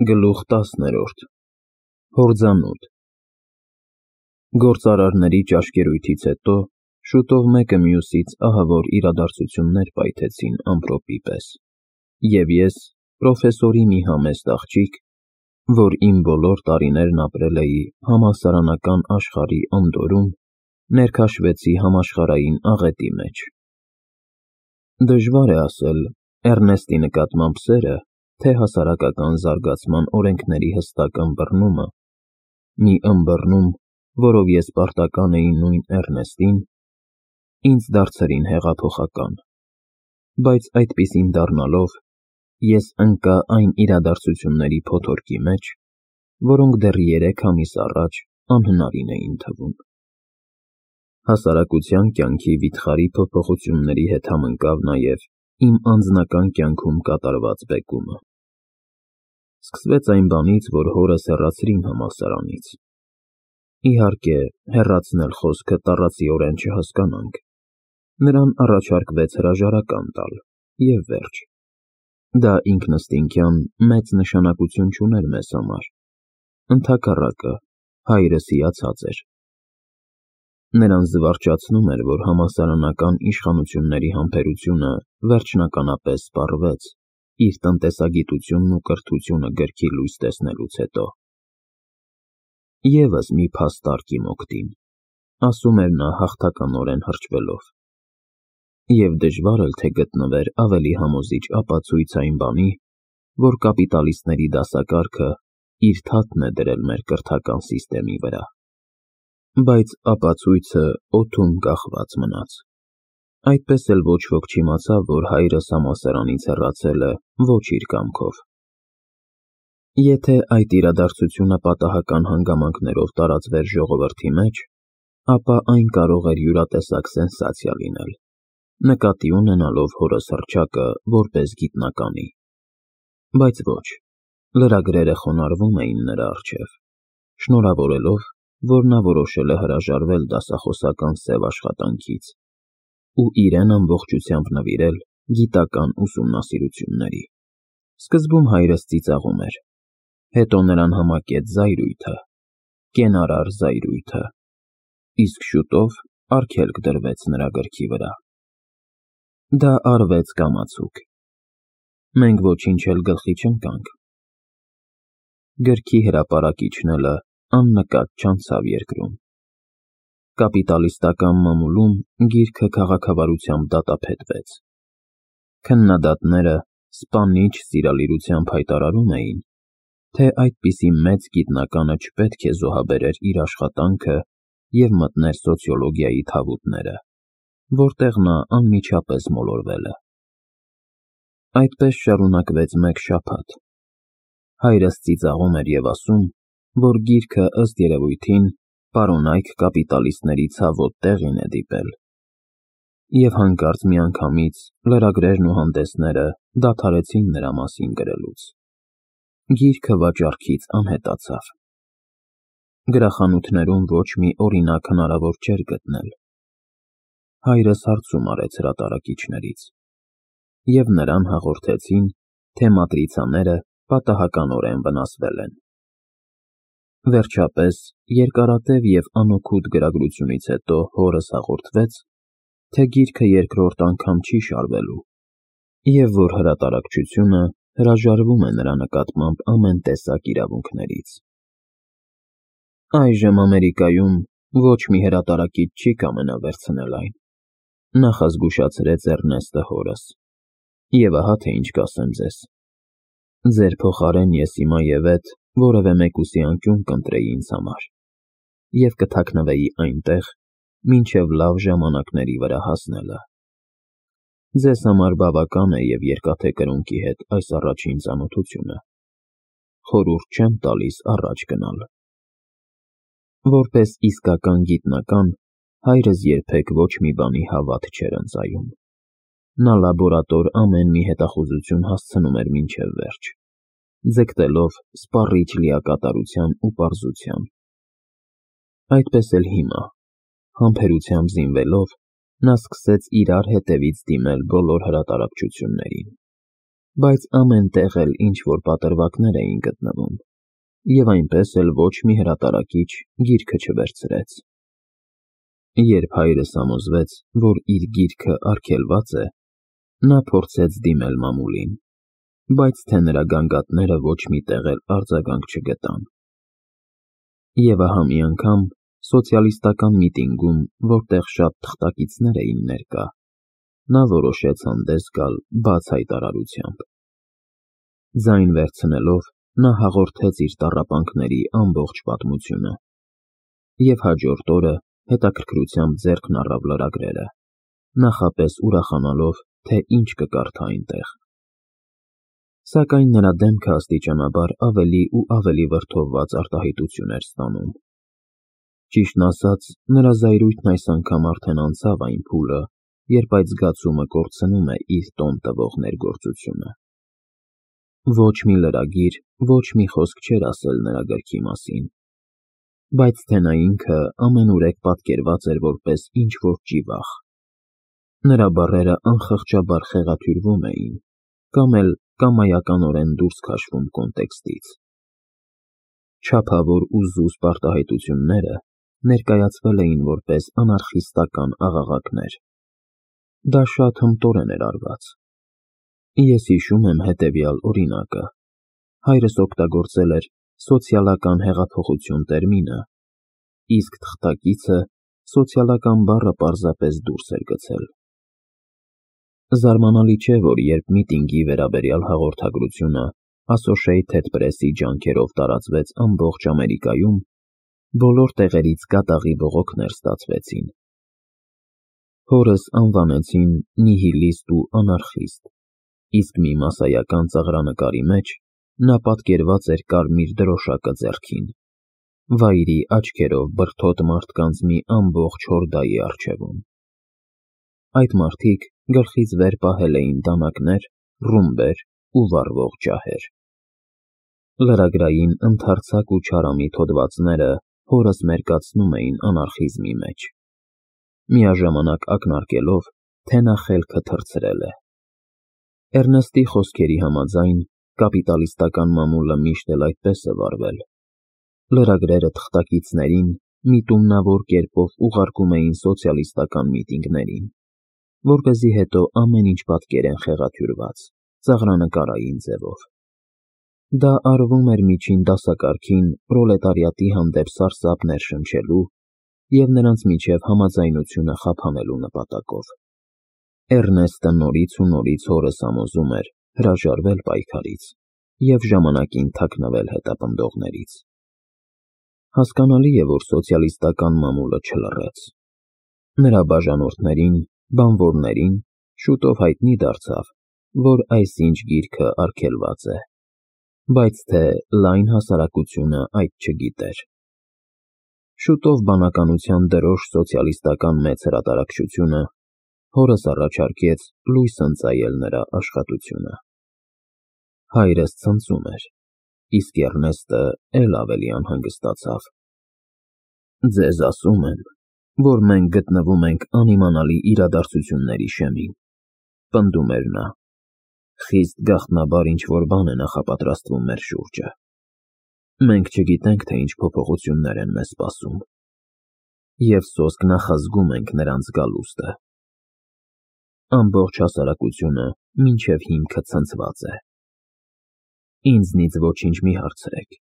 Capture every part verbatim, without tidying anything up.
Գլուխ տասներորդ Հորձանուտ Գործարարների ճաշկերույթից հետո շուտով մեկը մյուսից ահավոր իրադարձություններ պայթեցին ամպրոպի պես, և ես, պրոֆեսորի մի համեստ աղջիկ, որ իմ բոլոր տարիներն ապրել էի համալսարանական աշխարհի անդորրում, ներքաշվեցի համաշխարհային աղետի մեջ։ Դժվար է ասել Էռնեստի նկատմամբ սերը, թե հասարակական զարգացման օրենքների հստակ ըմբռնումը, մի ըմբռնում, որով ես պարտական էի նույն Էռնեստին, ինձ դարձրին հեղափոխական, բայց այդպիսին դառնալով, ես ընկա այն իրադարձությունների փոթորկի մեջ, որոնք դեռ երեք ամիս առաջ անհնարին էին թվում։ Հասարակության կյանքի վիթխարի փոփոխությունների հետ համընկավ նաև իմ անձնական կյանքում կատարված բեկումը։ Սկսվեց այն բանից, որ հորս հեռացրին համալսարանից։ Իհարկե, հեռացնել խոսքը տառացիորեն չհասկանանք։ Նրան առաջարկվեց հրաժարական տալ, և վերջ։ Դա ինքնըստինքյան մեծ նշանակություն չուներ մեզ համար։ Ընդհակառակը, հայրս հիացած էր։ Նրան զվարճացնում էր, որ համալսարանական իշխանությունների համբերությունը վերջնականապես սպառվեց իր տնտեսագիտությունն ու կրթությունը գրքի լույս տեսնելուց հետո։ Եվս մի փաստարկ իմ օգտին, ասում էր նա հաղթականորեն հրճվելով։ Եվ դժվար էլ թե գտնվեր ավելի համոզիչ ապացույց այն բանի, որ կապիտալիստների դասակարգը իր թաթն է դրել մեր կրթական սիստեմի վրա։ Բայց ապացույցը օդում կախված մնաց։ Այդպես էլ ոչ ոք չիմացավ, որ հայրս համալսարանից հեռացել է ոչ իր կամքով։ Եթե այդ իրադարձությունը պատահական հանգամանքներով տարածվեր ժողովրդի մեջ, ապա այն կարող էր յուրատեսակ սենսացիա լինել, նկատի ունենալով հորս հռչակը որպես գիտնականի։ Բայց ոչ, լրագրերը խոնարհվում էին նրա առջև, շնորհավորելով, որ նա որոշել է հրաժարվել դասախոսական սև աշխատանքից ու իրեն ամբողջությամբ նվիրել գիտական ուսումնասիրությունների։ Սկզբում հայրս ծիծաղում էր, հետո նրան համակեց զայրույթը, կենարար զայրույթը, իսկ շուտով արգելք դրվեց նրա գրքի վրա։ Դա արվեց կամացուկ։ Մենք ոչինչ էլ գլխի չընկանք։ Գրքի հրապարակիչն էլը աննկատ չանցավ երկրում։ Կապիտալիստական մամուլում գիրքը քաղաքավարությամբ դատապետվեց։ Քննադատները սպանիչ սիրալիրությամբ հայտարարում էին, թե այդպիսի մեծ գիտնականը չպետք է զոհաբերեր իր աշխատանքը և մտներ սոցիոլոգիայի թավուտները, որտեղ նա անմիջապես մոլորվել է։ Այդպես շարունակվեց մեկ շաբաթ։ Հայրս ծիծաղում էր և ասում, որ գիրքը ըստ երևույթին պարոնայք կապիտալիստների ցավոտ տեղին է դիպել։ Եվ հանկարծ միանգամից լրագրերն ու հանդեսները դադարեցին նրա մասին գրելուց։ Գիրքը վաճառքից անհետացավ։ Գրախանութներում ոչ մի օրինակ հնարավոր չէր գտնել։ Հայրս հարցում արեց հրատարակիչներից, և նրան հաղորդեցին, թե մատրիցաները պատահականորեն վնասվել են։ Վերջապես, երկարատև և անօգուտ գրագրությունից հետո հորս հաղորդվեց, թե գիրքը երկրորդ անգամ չի շարվելու, և որ հրատարակչությունը հրաժարվում է նրա նկատմամբ ամեն տեսակ իրավունքներից։ Այժմ Ամերիկայում ոչ մի հրատարակիչ չի կամենա վերցնել այն, նախազգուշացրեց Էռնեստը հորս, և ահա թե ինչ կասեմ ձեզ. ձեր փոխարեն ես հիմա և էդ որևէ մեկուսի անկյուն կընտրեի ինձ համար և կթաքնվեի այնտեղ, մինչև լավ ժամանակների վրա հասնելը։ Ձեզ համար բավական է և երկաթե կրունկի հետ այս առաջին ծանոթությունը, խորհուրդ չեմ տալիս առաջ գնալ։ Որպես իսկական գիտնական, հայրս երբեք ոչ մի բանի հավատ չէր ընծայում։ Նա լաբորատոր ամեն մի հետախուզություն հասցնում էր մինչև վերջ, ձգտելով սպառիչ լիակատարության ու պարզության։ Այդպես էլ հիմա, համբերությամբ զինվելով, նա սկսեց իրար հետևից դիմել բոլոր հրատարակչություններին։ բայց ամեն տեղ էլ ինչ-որ պատրվակներ էին գտնվում, և այնպես էլ ոչ մի հրատարակիչ գիրքը չվերցրեց։ Երբ հայրս համոզվեց, որ իր գիրքը արգելված է, նա փորձեց դիմել մամուլին, բայց թե նրա գանգատները ոչ մի տեղ էլ արձագանք չգտան։ Եվ ահա մի անգամ սոցիալիստական միտինգում, որտեղ շատ թղթակիցներ էին ներկա, նա որոշեց հանդես գալ բաց հայտարարությամբ։ Ձայն վերցնելով, նա հաղորդեց իր տառապանքների ամբողջ պատմությունը, և հաջորդ օրը հետաքրքրությամբ ձեռքն առավ լրագրերը, նախապես ուրախանալով, թե ինչ կկարդա այնտեղ։ Սակայն նրա դեմքը աստիճանաբար ավելի ու ավելի վրդովված արտահայտություն էր ստանում։ Ճիշտն ասած, նրա զայրույթն այս անգամ արդեն անցավ այն փուլը, երբ այդ զգացումը կորցնում է իր տոն տվող ներգործությունը։ Ոչ մի լրագիր, ոչ մի խոսք չէր ասել նրա գրքի մասին, բայց թե նա ինքը ամենուրեք պատկերված էր որպես ինչ-որ ճիվախ։ Նրա բառերը անխղճաբար խեղաթյուրվում էին, կամ էլ կամայականորեն դուրս քաշվում կոնտեքստից։ Չափավոր ու զուսպ արտահայտությունները ներկայացվել էին որպես անարխիստական աղաղակներ։ Դա շատ հմտորեն էր արված։ Ես հիշում եմ հետևյալ օրինակը. հայրս օգտագործել էր սոցիալական հեղափոխություն տերմինը, իսկ թղթակիցը սոցիալական բառը պարզապես դուրս էր գցել։ Զարմանալի չէ, որ երբ միտինգի վերաբերյալ հաղորդագրությունը Associated Press-ի ջանքերով տարածվեց ամբողջ Ամերիկայում, բոլոր տեղերից կատաղի բողոքներ ստացվեցին։ Հորս անվանեցին նիհիլիստ ու անարխիստ, իսկ մի մասսայական ծաղրանկարի մեջ նա պատկերված էր կարմիր դրոշակը ձեռքին, վայրի աչքերով բրդոտ մարդկանց մի ամբողջ հորդայի առջևում։ Այդ մարդիկ գլխից վեր պահել էին դանակներ, ռումբեր ու վառվող ջահեր։ Լրագրային ընդարձակ ու չարամիտ հոդվածները հորս մերկացնում էին անարխիզմի մեջ, միաժամանակ ակնարկելով, թե նա խելքը թռցրել է։ Էրնեստի խոսքերի համաձայն, կապիտալիստական մամուլը միշտ էլ այդպես է վարվել։ Լրագրերը թղթակիցներին միտումնավոր կերպով ուղարկում էին սոցիալիստական միտինգներին, որպեսզի հետո ամեն ինչ պատկերեն խեղաթյուրված, ծաղրանկարային ձևով։ Դա արվում էր միջին դասակարգին պրոլետարիատի հանդեպ սարսափ ներշնչելու և նրանց միջև համաձայնությունը խափանելու նպատակով։ Էրնեստը նորից ու նորից հորս համոզում էր հրաժարվել պայքարից և ժամանակին թաքնվել հետապնդողներից։ Հասկանալի է, որ սոցիալիստական մամուլը չլռեց։ Նրա բաժանորդներին, բանվորներին շուտով հայտնի դարձավ, որ այսինչ գիրքը արգելված է, բայց թե լայն հասարակությունը այդ չգիտեր։ Շուտով բանականության դրոշ սոցիալիստական մեծ հրատարակչությունը հորս առաջարկեց լույս ընծայել նրա աշխատությունը։ Հայրս ցնծում էր, իսկ Էրնեստը էլ ավելի անհանգստացավ։ Ձեզ ասում եմ, որ մենք գտնվում ենք անիմանալի իրադարձությունների շեմին, պնդում էր նա։ Խիստ գաղտնաբար ինչ-որ բան է նախապատրաստվում մեր շուրջը։ Մենք չգիտենք, թե ինչ փոփոխություններ են մեզ սպասում, և սոսկ նախազգում ենք նրանց գալուստը։ Ամբողջ հասարակությունը մինչև հիմքը ցնցված է։ Ինձնից ոչինչ մի հարցրեք,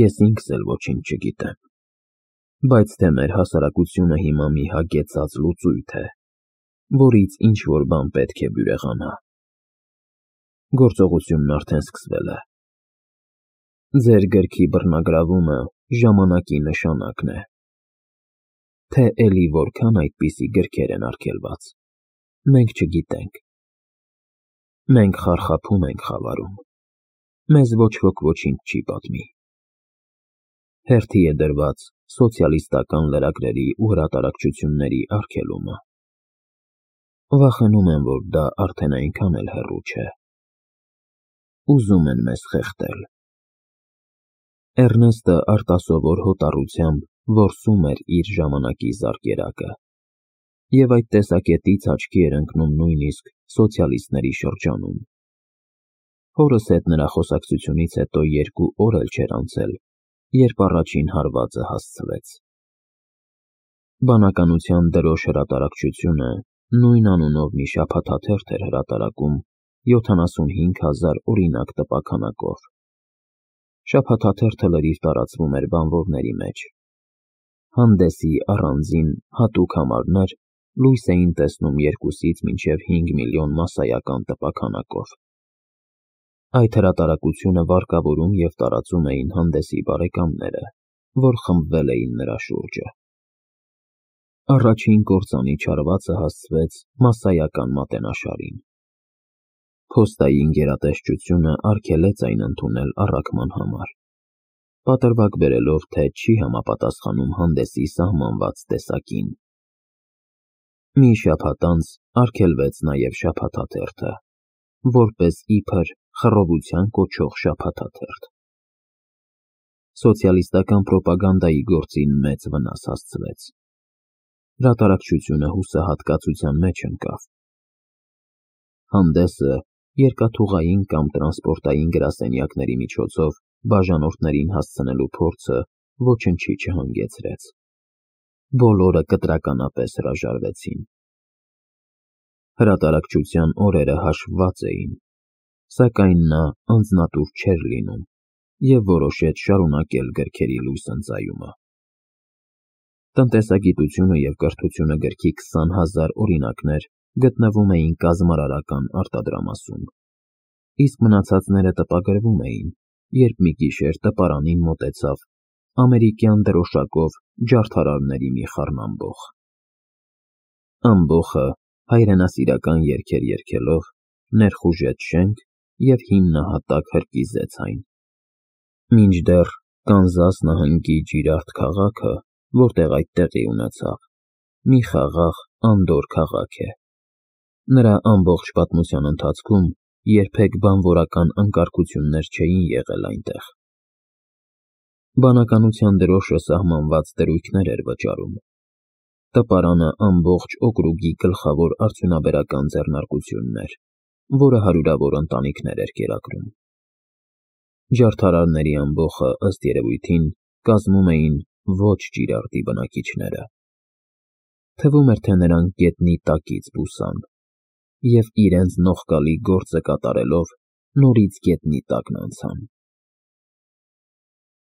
ես ինքս էլ ոչինչ չգիտեմ, բայց թե մեր հասարակությունը հիմա մի հագեցած լուծույթ է, որից ինչ-որ բան պետք է բյուրեղանա։ Գործողությունն արդեն սկսվել է։ Ձեր գրքի բռնագրավումը ժամանակի նշանակն է։ Թե էլի որքան այդպիսի գրքեր են արգելված, մենք չգիտենք։ Մենք խարխափում ենք խավարում, մեզ ոչ ոք ոչինչ չի պատմի։ Հերթի է դրված սոցիալիստական լրագրերի ու հրատարակչությունների արգելումը։ Վախենում եմ, որ դա արդեն այնքան էլ հեռու չէ։ Ուզում են մեզ խեղդել։ Էրնեստը արտասովոր հոտառությամբ որսում էր իր ժամանակի զարկերակը, և այդ տեսակետից աչքի էր ընկնում նույնիսկ սոցիալիստների շրջանում։ Հորս հետ նրա խոսակցությունից հետո երկու օր էլ չէր անցել, երբ առաջին հարվածը հասցվեց։ Բանականության դրոշ հրատարակչությունը նույն անունով մի շաբաթաթերթ էր հրատարակում յոթանասունհինգ հազար օրինակ տպաքանակով։ Շաբաթաթերթը լրիվ տարածվում էր բանվորների մեջ։ Հանդեսի առանձին հատուկ համարներ լույս էին տեսնում երկուսից մինչև հինգ միլիոն մասսայական տպաքանակով։ Այդ հրատարակությունը վարկավորում և տարածում էին Հանդեսի բարեկամները, որ խմբվել էին նրա շուրջը։ Առաջին կործանի չարվածը հասցվեց մասսայական մատենաշարին։ Փոստային գերատեսչությունը արգելեց այն ընդունել առաքման համար, պատրվակ բերելով, թե չի համապատասխանում Հանդեսի սահմանված տեսակին։ Մի շաբաթ անց արգելվեց նաև շաբաթաթերթը, որպես իբր խռովության կոչող շաբաթաթերթ։ Սոցիալիստական պրոպագանդայի գործին մեծ վնաս հասցվեց։ Հրատարակչությունը հուսահատկացության մեջ ընկավ։ Հանդեսը երկաթուղային կամ տրանսպորտային գրասենյակների միջոցով բաժանորդներին հասցնելու փորձը ոչնչի չհանգեցրեց։ Բոլորը կտրականապես հրաժարվեցին։ Հրատարակչության օրերը հաշվված էին, սակայն նա անձնատուր չէր լինում և որոշեց շարունակել գրքերի լույս ընծայումը։ «Տնտեսագիտությունը և կրթությունը» գրքի քսան հազար օրինակներ գտնվում էին կազմարարական արտադրամասում, իսկ մնացածները տպագրվում էին, երբ մի գիշեր տպարանին մոտեցավ ամերիկյան դրոշակով ջարդարարների մի խառնամբոխ։ Ամբոխը հայրենասիրական երգեր երգելով ներխուժեց շենք և հիմնահատակ հրկիզեց այն։ Մինչդեռ Կանզաս նահանգի Ջիրարդ քաղաքը, որտեղ այդ տեղի ունեցավ, մի խաղաղ անդորր քաղաք է։ Նրա ամբողջ պատմության ընթացքում երբեք բանվորական անկարգություններ չէին եղել այնտեղ։ Բանականության դրոշը սահմանված դրույքներ էր վճարում։ Տպարանը ամբողջ օկրուգի գլխավոր արդյունաբերական ձեռնարկությունն էր, որը հարյուրավոր ընտանիքներ էր կերակրում։ Ջարդարարների ամբոխը, ըստ երևույթին, կազմում էին ոչ Ջիրարդի բնակիչները։ Թվում էր, թե նրանք գետնի տակից բուսան և իրենց նողկալի գործը կատարելով նորից գետնի տակն անցան։